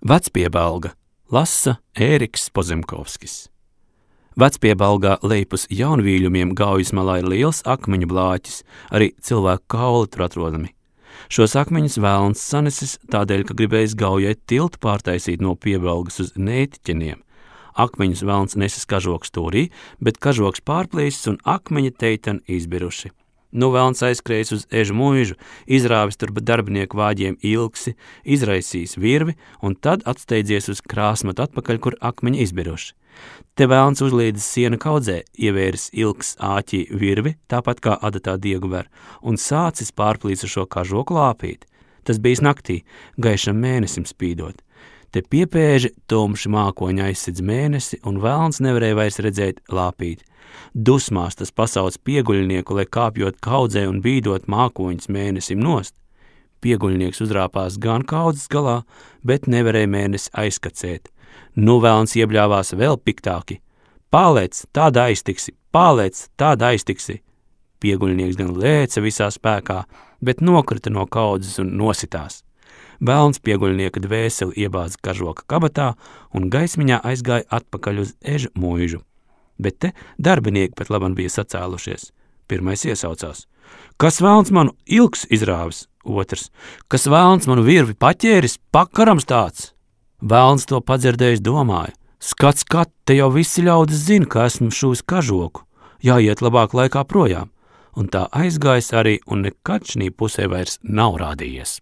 Vecpiebalga lasa Ēriks Pozemkovskis. Vecpiebalgā lejpus jaunvīļumiem Gaujas malā ir liels akmeņu blāķis, arī cilvēku kauli tur atrodami. Šos akmeņus velns sanesis tādēļ, ka gribējis Gaujai tiltu pārtaisīt no Piebalgas uz Nētiķeniem. Akmeņus velns nesis kažoks stūrī, bet kažoks pārplīsis un akmeņi teitani izbiruši. Nu velns aizskrējis uz Ežu muižu, izrāvis tur darbinieku vāģiem ilgsi, izraisījis virvi un tad atsteidzies uz krāsmatu atpakaļ, kur akmeņi izbiruši. Te velns uzlīdis siena kaudzē, ievēris ilgs āķī virvi, tāpat kā adatā diegu ver, un sācis pārplīsušo kažoku lāpīt. Tas bijis naktī, gaišam mēnesim spīdot. Te piepēži tumši mākoņi aizsidz mēnesi, un velns nevarēja vairs redzēt lāpīt. Dusmās tas pasauc pieguļnieku, lai kāpjot kaudzē un bīdot mākoņus mēnesim nost. Pieguļnieks uzrāpās gan kaudzes galā, bet nevarēja mēnesi aizkacēt. Nu velns iebļāvās vēl piktāki. Pālēc, tāda aiztiksi, pālēc, tāda aiztiksi. Pieguļnieks gan lēca visā spēkā, bet nokrita no kaudzes un nositās. Velns pieguļnieka dvēseli iebāza kažoka kabatā un gaismiņā aizgāja atpakaļ uz Ežu muižu. Bet te darbinieki pat labam bija sacēlušies. Pirmais iesaucās. Kas velns manu ilgs izrāvis? Otrs. Kas velns manu virvi paķēris? Pakarams tāds! Velns to padzirdējis domāja. Skat, te jau visi ļaudis zina, ka esmu šūs kažoku. Jāiet labāk laikā projām. Un tā aizgājis arī un nekad šī pusē vairs nav rādījies.